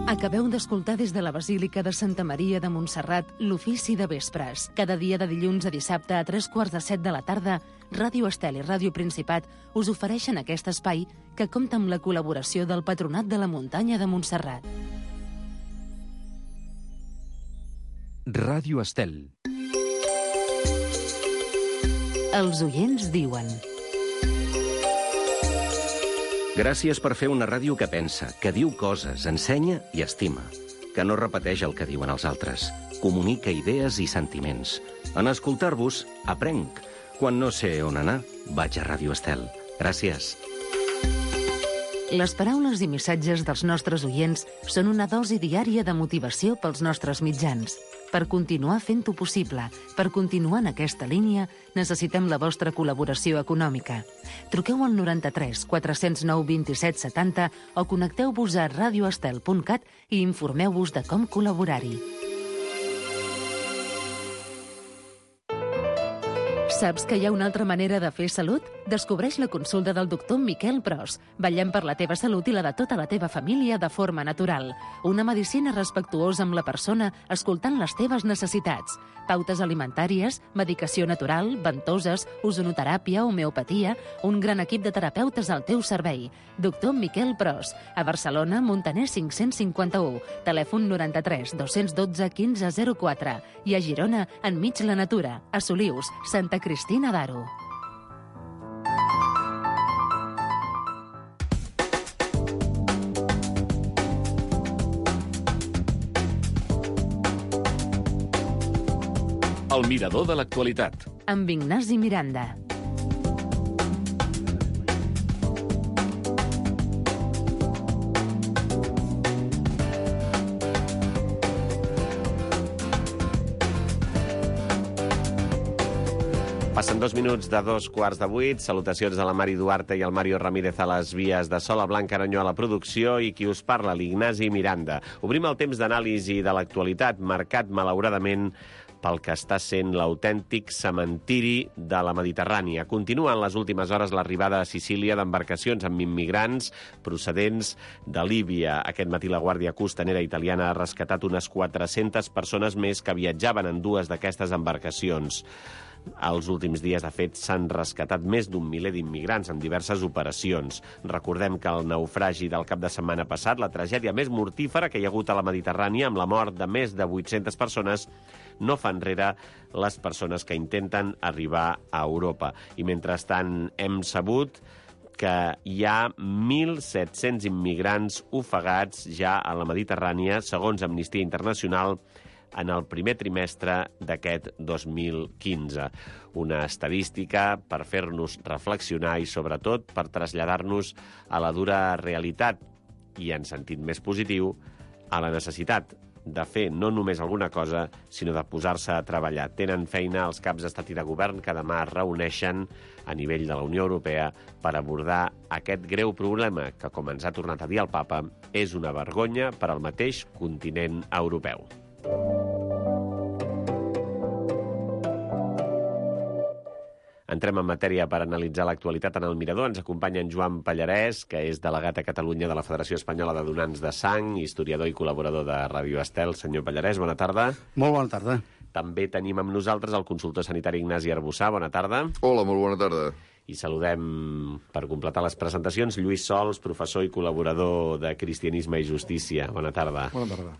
Acabeu d'escoltar des de la Basílica de Santa Maria de Montserrat l'Ofici de Vespres. Cada dia de dilluns a dissabte a 3:45 de la tarda, Ràdio Estel i Ràdio Principat us ofereixen aquest espai que compta amb la col·laboració del Patronat de la Muntanya de Montserrat. Ràdio Estel. Els oients diuen... Gràcies per fer una ràdio que pensa, que diu coses, ensenya i estima, que no repeteix el que diuen els altres, comunica idees i sentiments. En escoltar-vos, aprenc. Quan no sé on anar, vaig a Ràdio Estel. Gràcies. Les paraules i missatges dels nostres oients són una dosi diària de motivació pels nostres mitjans. Per continuar fent-ho possible, per continuar en aquesta línia, necessitem la vostra col·laboració econòmica. Truqueu al 93 409 27 70 o connecteu-vos a radioestel.cat i informeu-vos de com col·laborar-hi. Saps que hi ha una altra manera de fer salut? Descobreix la consulta del doctor Miquel Pros. Vetllem per la teva salut i la de tota la teva família de forma natural. Una medicina respectuosa amb la persona, escoltant les teves necessitats. Pautes alimentàries, medicació natural, ventoses, ozonoteràpia, homeopatia... Un gran equip de terapeutes al teu servei. Doctor Miquel Pros. A Barcelona, Montaner 551. Telèfon 93 212 1504. I a Girona, enmig la natura. A Solius, Santa Cristina d'Aro. El mirador de l'actualitat. Amb Ignasi Miranda. Passen 2 minuts de 2:15. Salutacions de la Mari Duarte i el Mario Ramírez a les vies de Sola Blanca Aranyó a la producció i qui us parla, l'Ignasi Miranda. Obrim el temps d'anàlisi de l'actualitat, marcat, malauradament, pel que està sent l'autèntic cementiri de la Mediterrània. Continua en les últimes hores l'arribada a Sicília d'embarcacions amb immigrants procedents de Líbia. Aquest matí la Guàrdia Costanera italiana ha rescatat unes 400 persones més que viatjaven en dues d'aquestes embarcacions. Els últims dies, de fet, s'han rescatat més d'un miler d'immigrants en diverses operacions. Recordem que el naufragi del cap de setmana passat, la tragèdia més mortífera que hi ha hagut a la Mediterrània, amb la mort de més de 800 persones, no fa enrere les persones que intenten arribar a Europa. I mentrestant hem sabut que hi ha 1.700 immigrants ofegats ja a la Mediterrània, segons Amnistia Internacional, en el primer trimestre d'aquest 2015. Una estadística per fer-nos reflexionar i, sobretot, per traslladar-nos a la dura realitat i, en sentit més positiu, a la necessitat de fer no només alguna cosa, sinó de posar-se a treballar. Tenen feina els caps d'estat i de govern que demà es reuneixen a nivell de la Unió Europea per abordar aquest greu problema que, com ens ha tornat a dir el papa, és una vergonya per al mateix continent europeu. Entrem en matèria per analitzar l'actualitat en el Mirador. Ens acompanya en Joan Pallarès, que és delegat a Catalunya de la Federació Espanyola de Donants de Sang, historiador i col·laborador de Ràdio Estel. Senyor Pallarès, bona tarda. Molt bona tarda. També tenim amb nosaltres el consultor sanitari Ignasi Arbussà. Bona tarda. Hola, molt bona tarda. I saludem, per completar les presentacions, Lluís Sols, professor i col·laborador de Cristianisme i Justícia. Bona tarda. Bona tarda.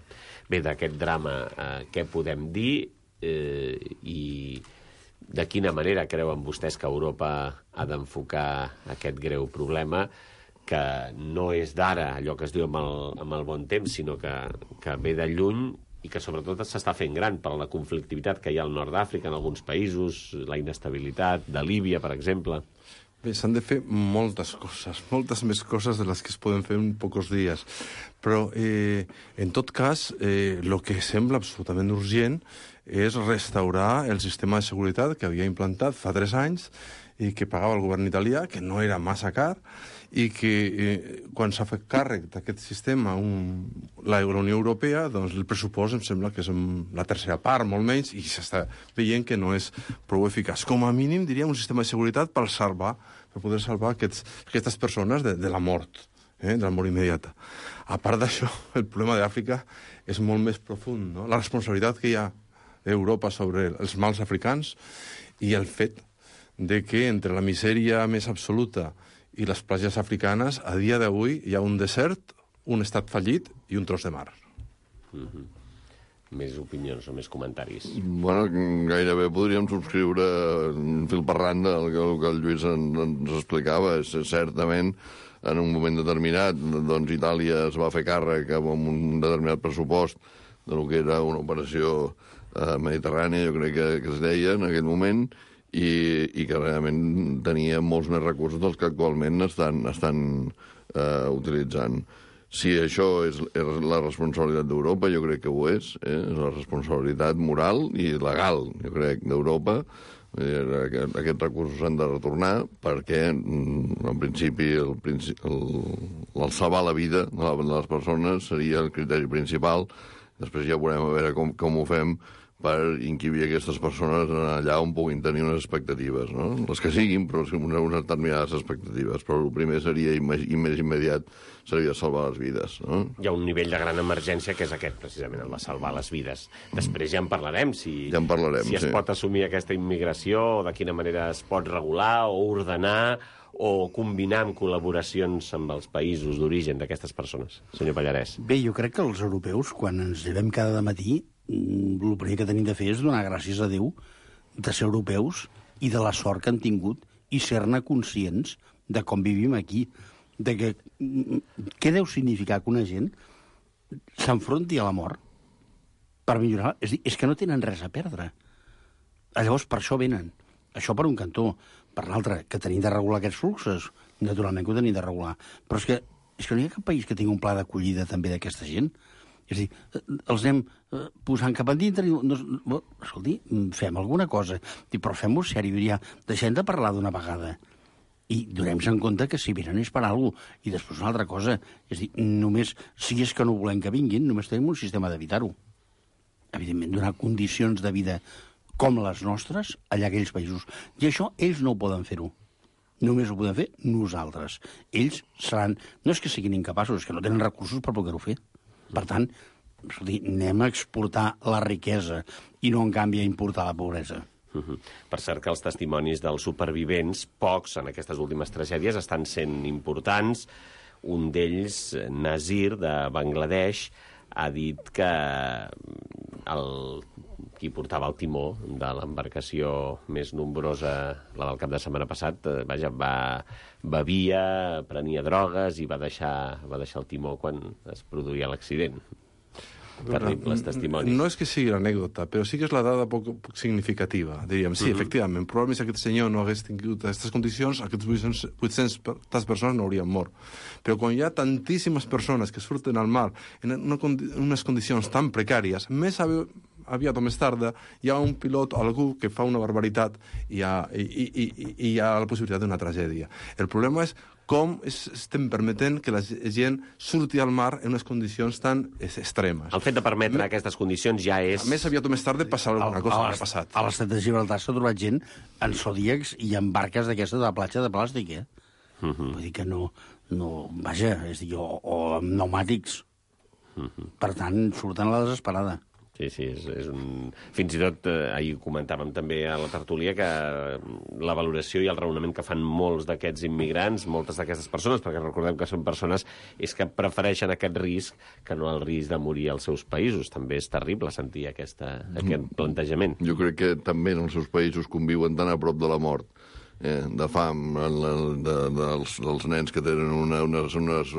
Bé, d'aquest drama, què podem dir i de quina manera creuen vostès que Europa ha d'enfocar aquest greu problema, que no és d'ara, allò que es diu amb el bon temps, sinó que ve de lluny i que sobretot s'està fent gran per la conflictivitat que hi ha al nord d'Àfrica, en alguns països, la inestabilitat de Líbia, per exemple. Bé, s'han de fer moltes coses, moltes més coses de les que es poden fer en pocs dies. Però, en tot cas, el que sembla absolutament urgent és restaurar el sistema de seguretat que havia implantat fa 3 anys i que pagava el govern italià, que no era massa car, i que quan s'ha fet càrrec d'aquest sistema la Unió Europea, doncs el pressupost em sembla que és la tercera part, molt menys, i s'està veient que no és prou eficaç. Com a mínim, diríem, un sistema de seguretat per poder salvar aquestes persones de la mort. de la mort immediata. A part d'això, el problema d'Àfrica és molt més profund, no? La responsabilitat que hi ha d'Europa sobre els mals africans i el fet de que entre la misèria més absoluta i les platges africanes, a dia d'avui hi ha un desert, un estat fallit i un tros de mar. Més opinions o més comentaris? Bueno, gairebé podríem subscriure fil per randa el que el Lluís ens explicava. Certament, en un moment determinat, doncs Itàlia es va fer càrrec amb un determinat pressupost del que era una operació mediterrània, jo crec que es deia en aquell moment, i que realment tenia molts més recursos dels que actualment estan utilitzant. Si això és la responsabilitat d'Europa, jo crec que ho és. És la responsabilitat moral i legal, jo crec, d'Europa. Aquests recursos s'han de retornar perquè, en principi, el salvar la vida de les persones seria el criteri principal. Després ja veurem a veure com ho fem per inquibir aquestes persones allà on puguin tenir unes expectatives, no? Les que siguin, però unes determinades expectatives. Però el primer seria, i més immediat, seria salvar les vides, no? Hi ha un nivell de gran emergència que és aquest, precisament, el de salvar les vides. Després ja en parlarem, si es pot assumir aquesta immigració, o de quina manera es pot regular o ordenar o combinar amb col·laboracions amb els països d'origen d'aquestes persones. Senyor Pallarès. Bé, jo crec que els europeus, quan ens llevem cada matí, el primer que tenim de fer és donar gràcies a Déu de ser europeus i de la sort que han tingut i ser-ne conscients de com vivim aquí. De que, què deu significar que una gent s'enfronti a la mort per millorar? És dir, és que no tenen res a perdre. Llavors, per això venen. Això per un cantó. Per l'altre, que tenim de regular aquests fluxos. Naturalment que ho tenim de regular. Però és que no hi ha cap país que tingui un pla d'acollida també d'aquesta gent. És a dir, els anem posant cap endintre i... escolti, fem alguna cosa. Però fem-ho sèrio, ja. Deixem de parlar d'una vegada. I donem-se en compte que si venen és per alguna cosa. I després una altra cosa. És a dir, només, si és que no volem que vinguin, només tenim un sistema d'evitar-ho. Evidentment, donar condicions de vida com les nostres allà a aquells països. I això ells no ho poden fer-ho. Només ho podem fer nosaltres. Ells seran... No és que siguin incapaços, és que no tenen recursos per poder-ho fer. Per tant, anem a exportar la riquesa i no, en canvi, a importar la pobresa. Per cert que els testimonis dels supervivents, pocs en aquestes últimes tragèdies, estan sent importants. Un d'ells, Nazir, de Bangladesh, ha dit que qui portava el timó de l'embarcació més nombrosa, la del cap de setmana passat, bevia, prenia drogues i va deixar el timó quan es produïa l'accident. Terribles testimonis. No és que sigui l'anècdota, però sí que és la dada poc significativa. Diríem, sí, efectivament, probablement si aquest senyor no hagués tingut aquestes condicions, aquests 800 persones no haurien mort. Però quan hi ha tantíssimes persones que surten al mar en unes condicions tan precàries, més aviat o més tard hi ha un pilot o algú que fa una barbaritat i hi ha la possibilitat d'una tragèdia. El problema és com estem permetent que la gent surti al mar en unes condicions tan extremes. El fet de permetre aquestes condicions ja és... A més, aviat o més tard passar alguna cosa que ha passat. A l'Estat de Gibraltar s'ha trobat gent en zodíacs i en barques d'aquestes de la platja de plàstic, Vull dir que no... Vaja, és dir, o amb pneumàtics. Per tant, surten a la desesperada. Sí, és un... Fins i tot, ahir comentàvem també a la tertúlia que la valoració i el raonament que fan molts d'aquests immigrants, moltes d'aquestes persones, perquè recordem que són persones, és que prefereixen aquest risc que no el risc de morir als seus països. També és terrible sentir aquest plantejament. Jo crec que també en els seus països conviuen tan a prop de la mort, de fam, dels nens que tenen unes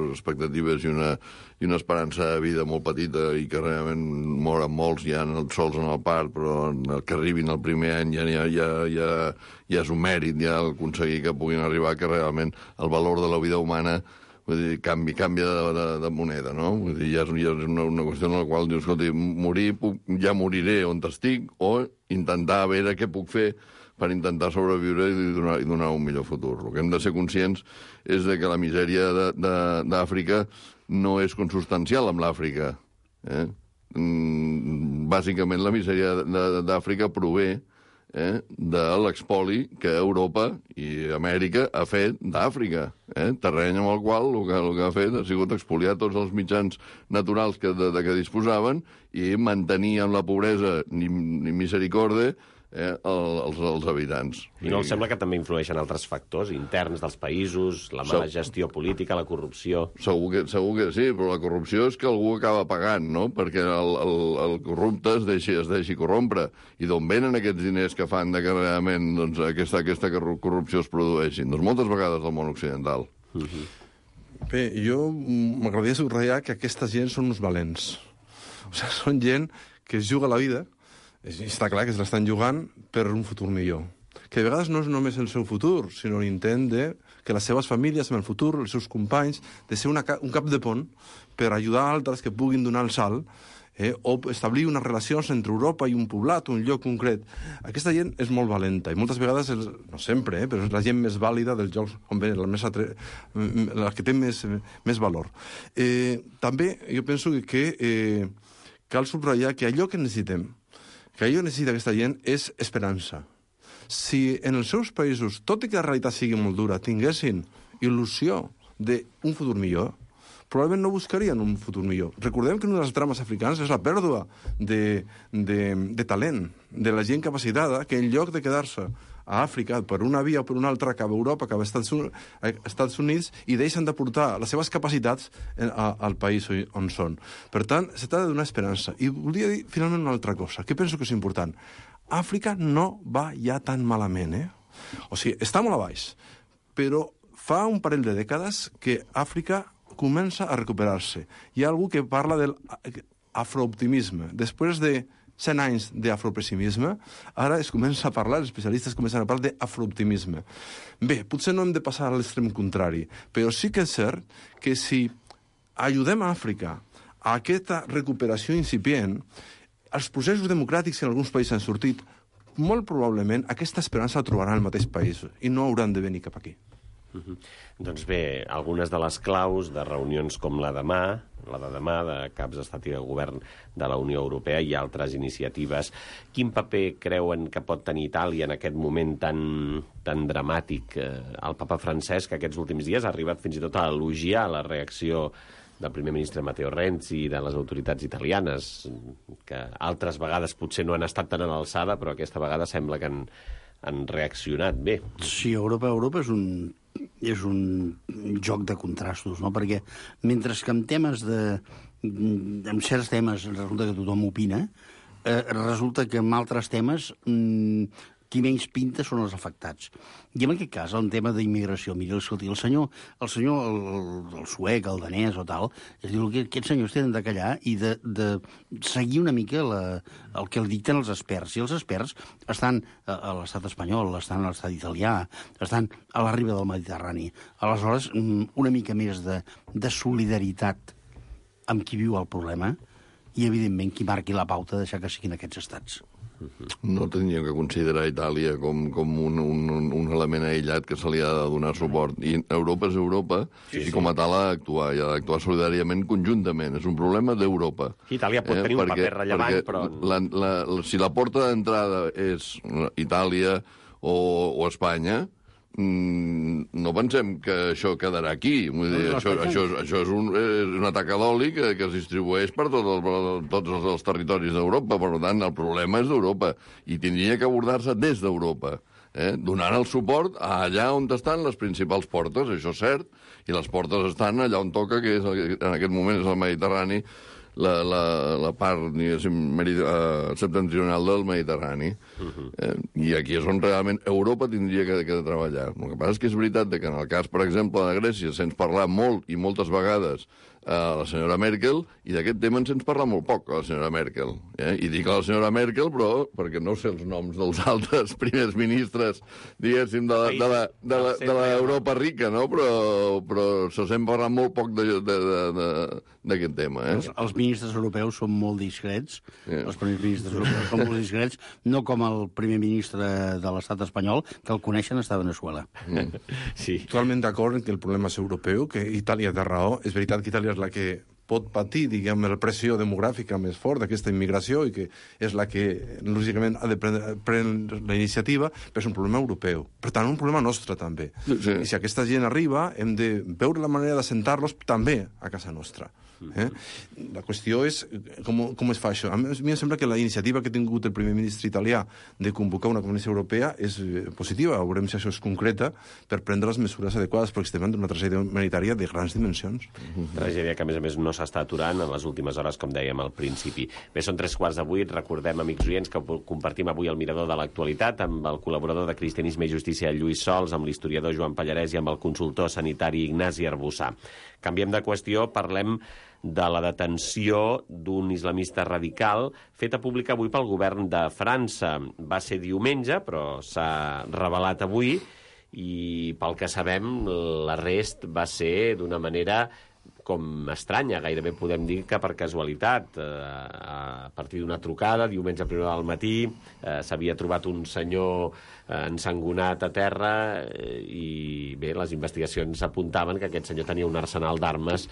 expectatives i una esperança de vida molt petita i que realment moren molts ja sols en el part, però el que arribin el primer any ja és un mèrit, ja aconseguir que puguin arribar, que realment el valor de la vida humana canvia de moneda, no? Vull dir, ja és una qüestió en la qual dius, escolta, ja moriré on estic, o intentar veure què puc fer per intentar sobreviure i donar un millor futur. El que hem de ser conscients és que la misèria d'Àfrica no és consubstancial amb l'Àfrica. Bàsicament, la misèria d'Àfrica prové de l'expoli que Europa i Amèrica ha fet d'Àfrica. terreny amb el qual el que ha fet ha sigut expoliar tots els mitjans naturals de què disposaven i mantenir en la pobresa ni misericorde els habitants. I no els sembla que també influeixen altres factors interns dels països, la mala gestió política, la corrupció? Segur que sí, però la corrupció és que algú acaba pagant, no? Perquè el corrupte es deixi corrompre. I d'on venen aquests diners que fan que realment aquesta corrupció es produeixi? Doncs moltes vegades del món occidental. Bé, jo m'agradaria subratllar que aquesta gent són uns valents. O sigui, són gent que es juga la vida. Està clar que se l'estan jugant per un futur millor. Que de vegades no és només el seu futur, sinó l'intent de que les seves famílies, en el futur, els seus companys, de ser un cap de pont per ajudar altres que puguin donar el salt o establir unes relacions entre Europa i un poblat, un lloc concret. Aquesta gent és molt valenta i moltes vegades, no sempre, però és la gent més vàlida dels llocs on ve, la que té més valor. També jo penso que cal subratllar que allò que necessitem, que allò que necessita aquesta gent és esperança. Si en els seus països, tot i que la realitat sigui molt dura, tinguessin il·lusió d'un futur millor, probablement no buscarien un futur millor. Recordem que una de les drames africans és la pèrdua de talent, de la gent capacitada, que en lloc de quedar-se a Àfrica per una via o per una altra cap a Europa, cap a Estats Units, i deixen de portar les seves capacitats al país on són. Per tant, se tracta d'una esperança. I volia dir finalment una altra cosa, que penso que és important. Àfrica no va ja tan malament, O sigui, està molt a baix, però fa un parell de dècades que Àfrica comença a recuperar-se. Hi ha algú que parla del afrooptimisme. Després de 100 anys d'afropessimisme, ara es comença a parlar, els especialistes comencen a parlar d'afrooptimisme. Bé, potser no hem de passar a l'extrem contrari, però sí que és cert que si ajudem a Àfrica a aquesta recuperació incipient, els processos democràtics que en alguns països han sortit, molt probablement aquesta esperança la trobaran al mateix país i no hauran de venir cap aquí. Doncs bé, algunes de les claus de reunions com la de demà de caps d'estat i de govern de la Unió Europea i altres iniciatives. Quin paper creuen que pot tenir Itàlia en aquest moment tan dramàtic? El papa Francesc aquests últims dies ha arribat fins i tot a elogiar la reacció del primer ministre Matteo Renzi i de les autoritats italianes, que altres vegades potser no han estat tan a l'alçada, però aquesta vegada sembla que han reaccionat bé. Sí, Europa és un joc de contrastos, no? Perquè mentre que en temes en certs temes resulta que tothom opina, resulta que en altres temes qui menys pinta són els afectats. I en aquest cas, en tema d'immigració, mira, escolti, el suec, el danès o tal, es diu que aquests senyors tenen de callar i de seguir una mica el que el dicten els experts. I els experts estan a l'estat espanyol, estan a l'estat italià, estan a la riba del Mediterrani. Aleshores, una mica més de solidaritat amb qui viu el problema i, evidentment, qui marqui la pauta de deixar que siguin aquests estats. No tindríem que considerar Itàlia com un element aïllat que se li ha de donar suport. I Europa és Europa, i com a tal ha d'actuar, i ha d'actuar solidàriament, conjuntament. És un problema d'Europa. Itàlia pot tenir un paper rellevant, però... Si la porta d'entrada és Itàlia o Espanya, no pensem que això quedarà aquí. Vull dir, això és un atac a l'oli que es distribueix per tots els territoris d'Europa. Per tant, el problema és d'Europa i tindria que abordar-se des d'Europa, donant el suport allà on estan les principals portes, això és cert, i les portes estan allà on toca, que en aquest moment és el Mediterrani, la part septentrional del Mediterrani. I aquí és on realment Europa tindria que treballar. El que passa és que és veritat que en el cas, per exemple, de Grècia, se'ns parla molt i moltes vegades a la senyora Merkel, i d'aquest tema se'ns parla molt poc, a la senyora Merkel. I dic a la senyora Merkel, però perquè no sé els noms dels altres primers ministres, diguéssim, de l'Europa rica, no? Però se sent parlar molt poc d'aquest tema. Els ministres europeus són molt discrets, els primers ministres europeus són molt discrets, no com el primer ministre de l'estat espanyol, que el coneixen està a Venezuela. Sí. Totalment d'acord en que el problema és europeu, que Itàlia té raó. És veritat que Itàlia és la que pot patir, diguem, la pressió demogràfica més fort d'aquesta immigració i que és la que, lògicament, ha de prendre la iniciativa, però és un problema europeu. Per tant, un problema nostre, també. Sí. I si aquesta gent arriba, hem de veure la manera d'assentar-los també a casa nostra. La qüestió és com es fa això. A mi em sembla que la iniciativa que ha tingut el primer ministre italià de convocar una comissió europea és positiva. Veurem si això es concreta per prendre les mesures adequades, perquè estem en una tragèdia humanitària de grans dimensions. Tragèdia que, a més, no s'està aturant en les últimes hores, com dèiem al principi. Bé, són 7:45. Recordem, amics oients, que compartim avui el mirador de l'actualitat amb el col·laborador de Cristianisme i Justícia, Lluís Sols, amb l'historiador Joan Pallarès i amb el consultor sanitari Ignasi Arbussà. Canviem de qüestió, parlem de la detenció d'un islamista radical feta pública avui pel govern de França. Va ser diumenge, però s'ha revelat avui, i pel que sabem, l'arrest va ser d'una manera com estranya, gairebé podem dir que per casualitat. A partir d'una trucada, diumenge a primera del matí, s'havia trobat un senyor ensangonat a terra i, bé, les investigacions apuntaven que aquest senyor tenia un arsenal d'armes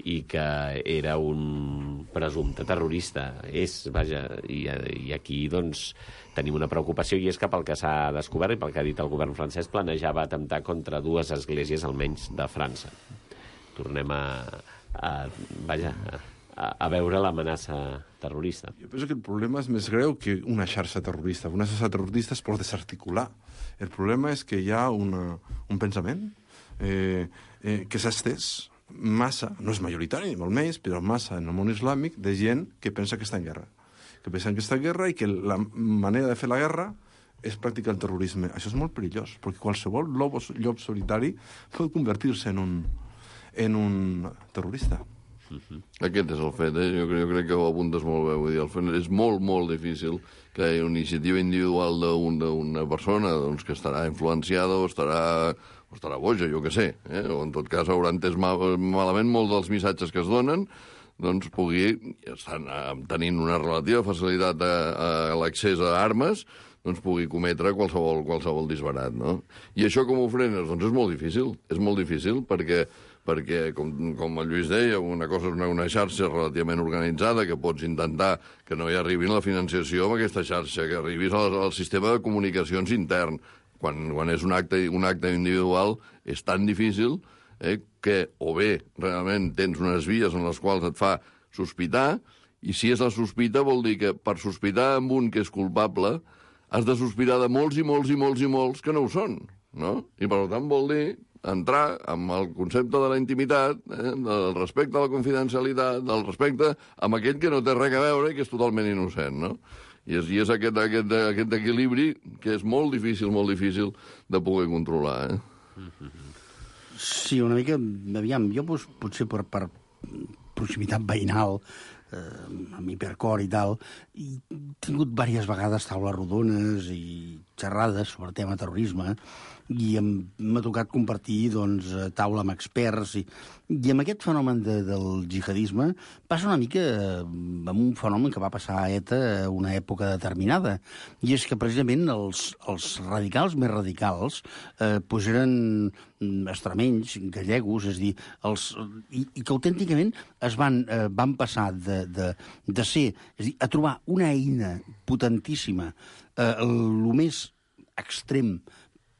i que era un presumpte terrorista. I aquí, doncs, tenim una preocupació, i és que pel que s'ha descobert i pel que ha dit el govern francès, planejava atemptar contra 2 esglésies, almenys, de França. Tornem a veure l'amenaça terrorista. Jo penso que el problema és més greu que una xarxa terrorista. Una xarxa terrorista es pot desarticular. El problema és que hi ha un pensament que s'ha estès massa, no és majoritari ni molt més, però massa en el món islàmic, de gent que pensa que està en guerra. Que pensa que està en guerra i que la manera de fer la guerra és practicar el terrorisme. Això és molt perillós, perquè qualsevol llop solitari pot convertir-se en un terrorista. Aquest és el fet, jo crec que ho apuntes molt bé. Vull dir, el fet és molt, molt difícil que hi hagi una iniciativa individual d'una persona doncs, que estarà influenciada o estarà boja, jo què sé, o en tot cas haurà entès malament molts dels missatges que es donen, doncs tenint una relativa facilitat a l'accés a armes, doncs pugui cometre qualsevol disbarat, no? I això com ho frenes? Doncs és molt difícil, perquè com el Lluís deia, una cosa és una xarxa relativament organitzada, que pots intentar que no hi arribi la financiació amb aquesta xarxa, que arribis al sistema de comunicacions intern. Quan és un acte individual és tan difícil que o bé realment tens unes vies en les quals et fa sospitar, i si és la sospita vol dir que per sospitar amb un que és culpable has de sospitar de molts i molts i molts i molts que no ho són, no? I per tant vol dir entrar amb el concepte de la intimitat, del respecte a la confidencialitat, del respecte amb aquell que no té res a veure i que és totalment innocent, no? I és aquest equilibri que és molt difícil de poder controlar, Sí, una mica, aviam, jo potser per proximitat veïnal, amb hipercor i tal, he tingut diverses vegades taules rodones i xerrades sobre tema terrorisme, i m'ha tocat compartir taula amb experts, i amb aquest fenomen del jihadisme passa una mica amb un fenomen que va passar a ETA a una època determinada, i és que precisament els radicals més radicals eren extremenys, gallegos, és a dir, i que autènticament van passar de ser, és a dir, a trobar una eina potentíssima, el més extrem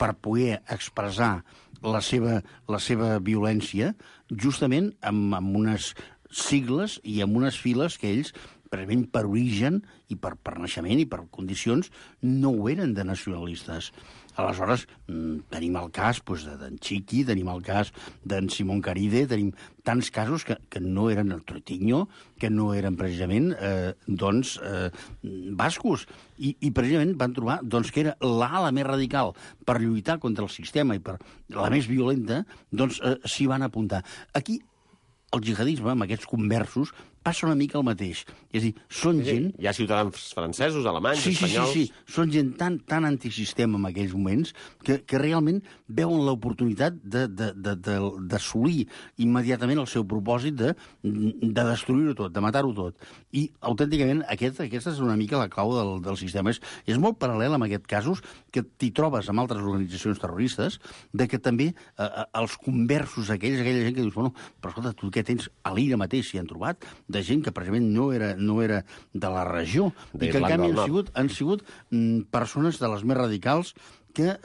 per poder expressar la seva violència, justament amb unes sigles i amb unes files que ells, precisament per origen i per naixement i per condicions, no ho eren de nacionalistes. Aleshores, tenim el cas d'en Chiqui, tenim el cas d'en Simón Caride, tenim tants casos que no eren el Troitiño, que no eren precisament bascos. I precisament van trobar que era l'ala més radical per lluitar contra el sistema i per la més violenta, s'hi van apuntar. Aquí el jihadisme, amb aquests conversos, passa una mica el mateix. És a dir, són gent... Hi ha ciutadans francesos, alemanys, espanyols... Sí. Són gent tan antisistema en aquells moments que realment veuen l'oportunitat d'assolir immediatament el seu propòsit de destruir-ho tot, de matar-ho tot. I, autènticament, aquesta és una mica la clau del sistema. És molt paral·lel amb aquests casos que t'hi trobes amb altres organitzacions terroristes, de que també els conversos aquella gent que dius, bueno, però escolta, tu què tens a l'Ira mateix s'hi han trobat, de gent que precisament no era de la regió, i que en canvi han sigut persones de les més radicals que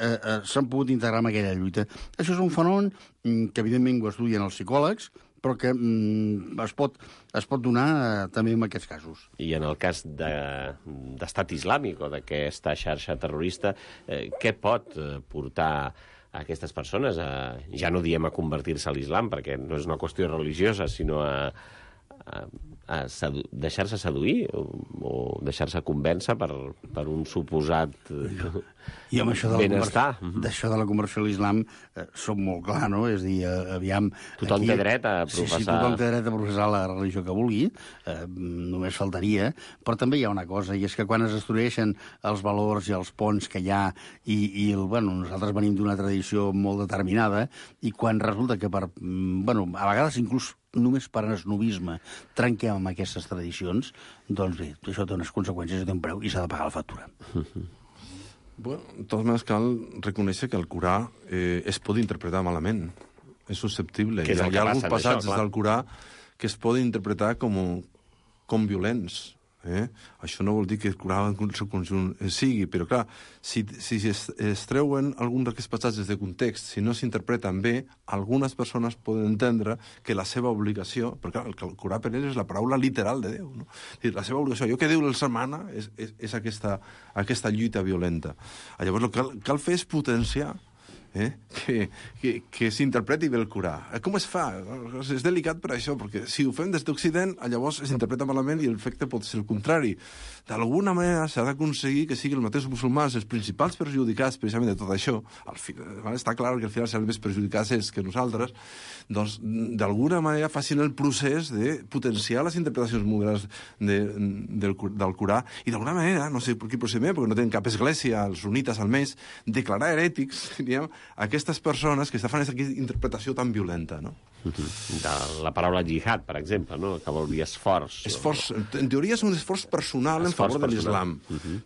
s'han pogut integrar en aquella lluita. Això és un fenomen que evidentment ho estudien els psicòlegs, però que es pot donar també en aquests casos. I en el cas d'estat islàmic o d'aquesta xarxa terrorista, què pot portar a aquestes persones? Ja no diem a convertir-se a l'islam, perquè no és una qüestió religiosa, sinó a deixar-se seduir o deixar-se convèncer per un suposat I amb això benestar. D'això de la conversió a l'islam som molt clar, no? És a dir, aviam... Tothom té dret a professar... Sí, tothom té dret a professar la religió que vulgui, només faltaria, però també hi ha una cosa, i és que quan es destrueixen els valors i els ponts que hi ha, i nosaltres venim d'una tradició molt determinada, i quan resulta que a vegades inclús només per esnovisme trenquem amb aquestes tradicions, doncs bé, això té unes conseqüències, té un preu i s'ha de pagar la factura. Bueno, de totes maneres cal reconèixer que el Corà es pot interpretar malament. És susceptible. Hi ha alguns passatges del Corà que es poden interpretar com violents. Això no vol dir que el Corà en el seu conjunt sigui, però clar, si es treuen alguns d'aquests passatges de context, si no s'interpreten bé, algunes persones poden entendre que la seva obligació, perquè el Corà per ells és la paraula literal de Déu, no? La seva obligació, allò que Déu els demana és aquesta lluita violenta. Llavors el que cal fer és potenciar que s'interpreti bé el Corà. Com es fa? És delicat per això, perquè si ho fem des d'Occident, llavors s'interpreta malament i l'efecte pot ser el contrari. D'alguna manera s'ha d'aconseguir que siguin els mateixos musulmans els principals perjudicats precisament de tot això. Està clar que al final seran més perjudicats ells que nosaltres. Doncs, d'alguna manera, facin el procés de potenciar les interpretacions modernes del Corà i, d'alguna manera, no sé per quin procediment, perquè no tenen cap església, els sunites almenys, declarar herètics, diríem, aquestes persones que fan aquesta interpretació tan violenta, no? De la paraula jihad, per exemple, no? Que vol dir esforç. En teoria és un esforç personal en favor de l'islam.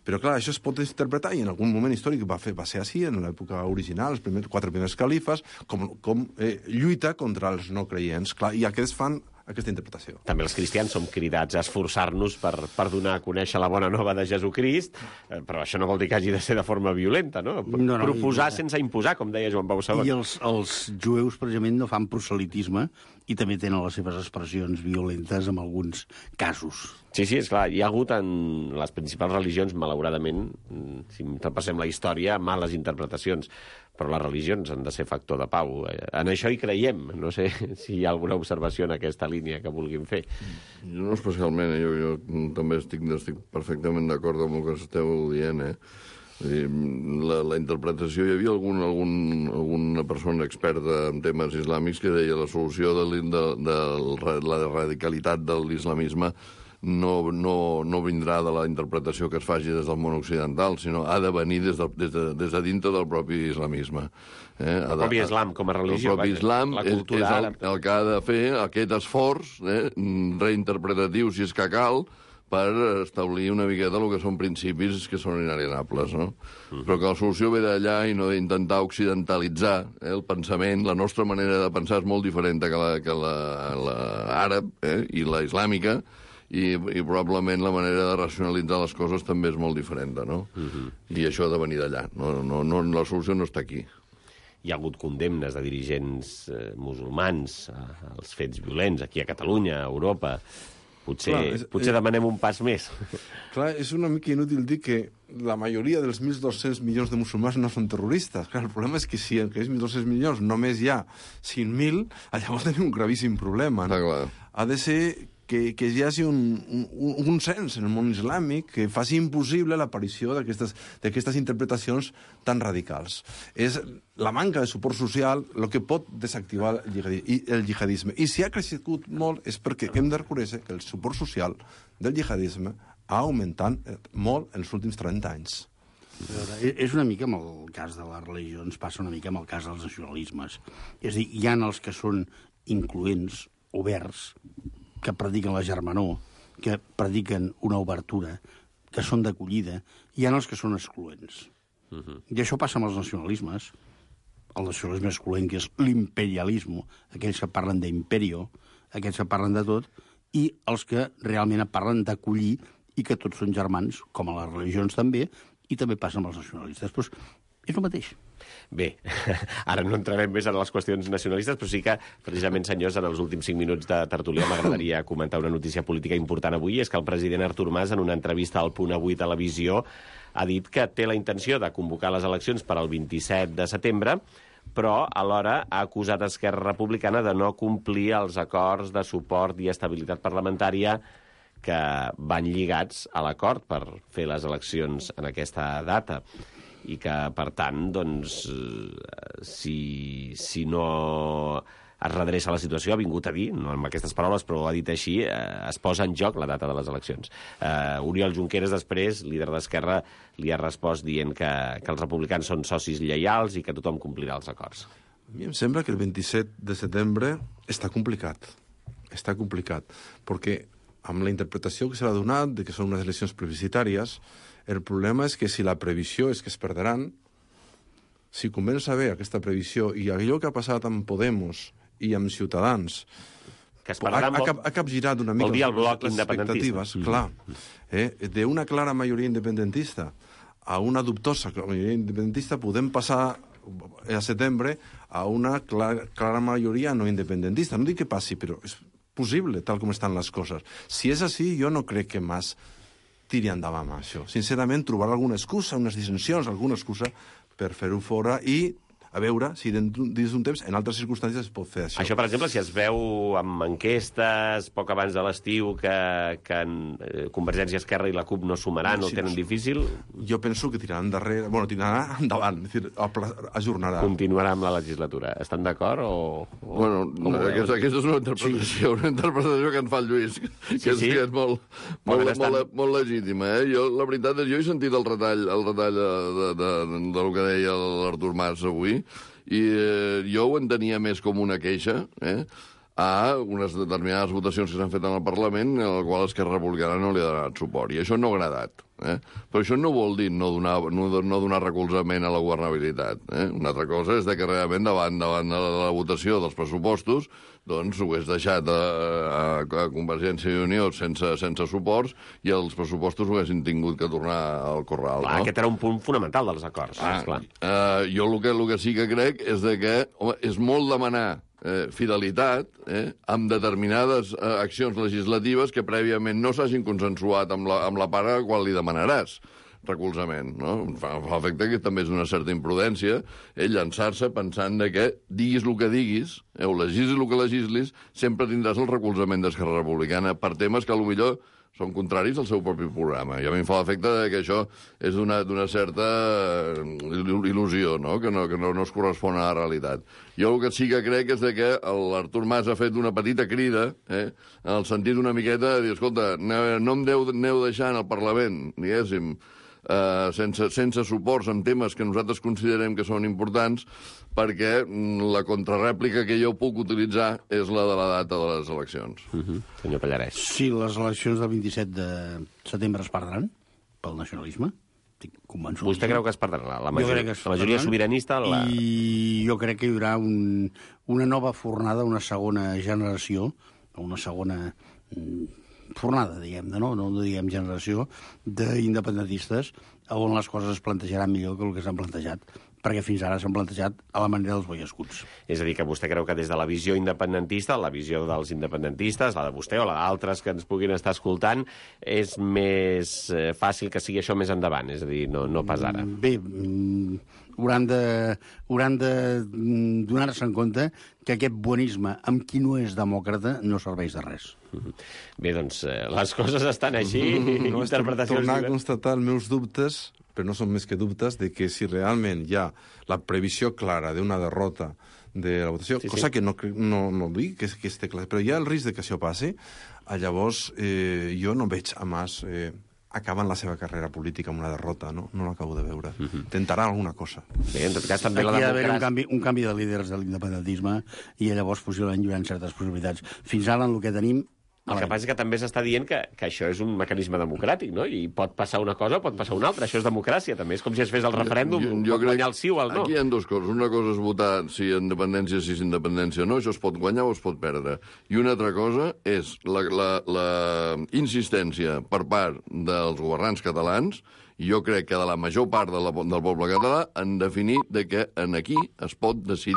Però, clar, això es pot interpretar, i en algun moment històric va ser així, en l'època original, els 4 primers califes, com lluita contra els no creients. Clar, i aquests fan aquesta interpretació. També els cristians som cridats a esforçar-nos per donar a conèixer la bona nova de Jesucrist, però això no vol dir que hagi de ser de forma violenta, no? Proposar sense imposar, com deia Joan Pau II. I els jueus, precisament, no fan proselitisme i també tenen les seves expressions violentes en alguns casos. Sí, esclar, hi ha hagut en les principals religions, malauradament, si repassem la història, males interpretacions, però les religions han de ser factor de pau. En això hi creiem. No sé si hi ha alguna observació en aquesta línia que vulguin fer. Jo no especialment, jo també estic perfectament d'acord amb el que esteu dient, La interpretació, hi havia alguna persona experta en temes islàmics que deia la solució de la radicalitat de l'islamisme no vindrà de la interpretació que es faci des del món occidental, sinó ha de venir des de dintre del propi islamisme. El propi islam com a religió. El propi islam és el que ha de fer aquest esforç reinterpretatiu, si és que cal, per establir una miqueta el que són principis que són inalienables, no? Però que la solució ve d'allà i no d'intentar occidentalitzar el pensament. La nostra manera de pensar és molt diferent que l'àrab i la islàmica, i probablement la manera de racionalitzar les coses també és molt diferent, no? I això ha de venir d'allà. La solució no està aquí. Hi ha hagut condemnes de dirigents musulmans als fets violents aquí a Catalunya, a Europa. Potser demanem un pas més. Clar, és una mica inútil dir que la majoria dels 1.200 milions de musulmans no són terroristes. Clar, el problema és que si en aquests 1.200 milions només hi ha 5.000, llavors tenim un gravíssim problema. No? Ha de ser que hi hagi un cens en el món islàmic que faci impossible l'aparició d'aquestes interpretacions tan radicals. És la manca de suport social el que pot desactivar el jihadisme. I si ha crescut molt és perquè hem de reconèixer que el suport social del jihadisme ha augmentat molt en els últims 30 anys. És una mica amb el cas de les religions, passa una mica amb el cas dels nacionalismes. És a dir, hi ha els que són incloents, oberts, que prediquen la germanor, que prediquen una obertura, que són d'acollida, hi ha els que són excloents. I això passa amb els nacionalismes. El nacionalisme excloent, que és l'imperialisme, aquells que parlen d'imperio, aquells que parlen de tot, i els que realment parlen d'acollir i que tots són germans, com a les religions també, i també passa amb els nacionalistes. Però és el mateix. Bé, ara no entrarem més en les qüestions nacionalistes, però sí que, precisament, senyors, en els últims 5 minuts de tertúlia m'agradaria comentar una notícia política important avui, és que el president Artur Mas, en una entrevista al Punt Avui Televisió, ha dit que té la intenció de convocar les eleccions per al 27 de setembre, però alhora ha acusat Esquerra Republicana de no complir els acords de suport i estabilitat parlamentària que van lligats a l'acord per fer les eleccions en aquesta data i que, per tant, doncs, si no es redreça la situació, ha vingut a dir, no amb aquestes paraules, però ho ha dit així, es posa en joc la data de les eleccions. Oriol Junqueras, després, líder d'Esquerra, li ha respost dient que els republicans són socis lleials i que tothom complirà els acords. A mi em sembla que el 27 de setembre està complicat. Està complicat, perquè amb la interpretació que se l'ha donat de que són unes eleccions plebiscitàries, el problema és que si la previsió és que es perdran, si comença a haver aquesta previsió i allò que ha passat amb Podemos i amb Ciutadans que es perdran ha capgirat una mica el bloc les independentista. Expectatives, clar. D'una clara majoria independentista a una dubtosa majoria independentista podem passar a setembre a una clara majoria no independentista. No dic que passi, però és possible, tal com estan les coses. Si és així, jo no crec que Mas tiri endavant amb això. Sincerament, trobar alguna excusa, unes dissensions, alguna excusa per fer-ho fora i a veure si dins d'un temps, en altres circumstàncies, es pot fer això. Això, per exemple, si es veu amb enquestes poc abans de l'estiu que Convergència, Esquerra i la CUP no sumaran, no ho tenen difícil... Jo penso que tiraran endarrere... Bueno, tiraran endavant, és dir, ajornarà. Continuarà amb la legislatura. Estan d'acord o... Bueno, aquesta és una interpretació, una interpretació que en fa el Lluís, que és molt legítima. Jo, la veritat és, jo he sentit el retall del que deia l'Artur Mas avui, i jo ho entenia més com una queixa, a unes determinades votacions que s'han fet en el Parlament en la qual Esquerra Republicana no li ha donat suport. I això no ha agradat. Però això no vol dir no donar recolzament a la governabilitat. Una altra cosa és que realment davant de la votació dels pressupostos doncs ho hagués deixat a Convergència i Unió sense suports i els pressupostos ho haguessin tingut que tornar al corral. Clar, aquest era un punt fonamental dels acords. Jo el que sí que crec és que és molt demanar fidelitat amb determinades accions legislatives que prèviament no s'hagin consensuat amb la part a la qual li demanaràs recolzament, no? Fa efecte que també és una certa imprudència llançar-se pensant que diguis el que diguis, o legislis el que legislis, sempre tindràs el recolzament d'Esquerra Republicana per temes que potser són contraris al seu propi programa. I a mi em fa l'efecte que això és d'una certa il·lusió, no? Que no es correspon a la realitat. Jo el que sí que crec és que l'Artur Mas ha fet una petita crida, en el sentit una miqueta de dir, escolta, no em aneu deixant al Parlament, diguéssim, sense suports en temes que nosaltres considerem que són importants, perquè la contrarèplica que jo puc utilitzar és la de la data de les eleccions. Senyor Pallarès. Si les eleccions del 27 de setembre es perdran pel nacionalisme, estic convençut. Vostè creu que es perdrà? La majoria sobiranista... I jo crec que hi haurà una nova fornada, una segona generació, una segona fornada, diguem-ne, no diguem generació, d'independentistes on les coses es plantejaran millor que el que s'han plantejat. perquè fins ara s'han plantejat a la manera dels boiescuts. És a dir, que vostè creu que des de la visió independentista, la visió dels independentistes, la de vostè o la d'altres que ens puguin estar escoltant, és més fàcil que sigui això més endavant, és a dir, no pas ara. Bé, hauran de donar-se en compte que aquest bonisme amb qui no és demòcrata no serveix de res. Bé, doncs, les coses estan així, No, interpretacions tornar a diverses. constatar els meus dubtes, però no són més que dubtes, de que si realment hi ha la previsió clara d'una derrota de la votació, Sí, sí. cosa que no dic que esté clar, però hi ha el risc de que això passi, llavors jo no veig a Mas acabant la seva carrera política amb una derrota, no l'acabo de veure. Tentarà alguna cosa. Bé, en tot cas, també Aquí la ha d'haver democràcia... un canvi de líders de l'independentisme i llavors possiblement hi haurà certes possibilitats. Fins ara, en el que tenim... El que passa és que també s'està dient que això és un mecanisme democràtic, no? I pot passar una cosa o pot passar una altra. Això és democràcia, també. És com si es fes el referèndum, pot guanyar el sí o el no. Aquí hi ha dues coses. Una cosa és votar si independència, si és independència o no, això es pot guanyar o es pot perdre. I una altra cosa és la insistència per part dels governants catalans, i jo crec que de la major part del poble català, en definir de que aquí es pot decidir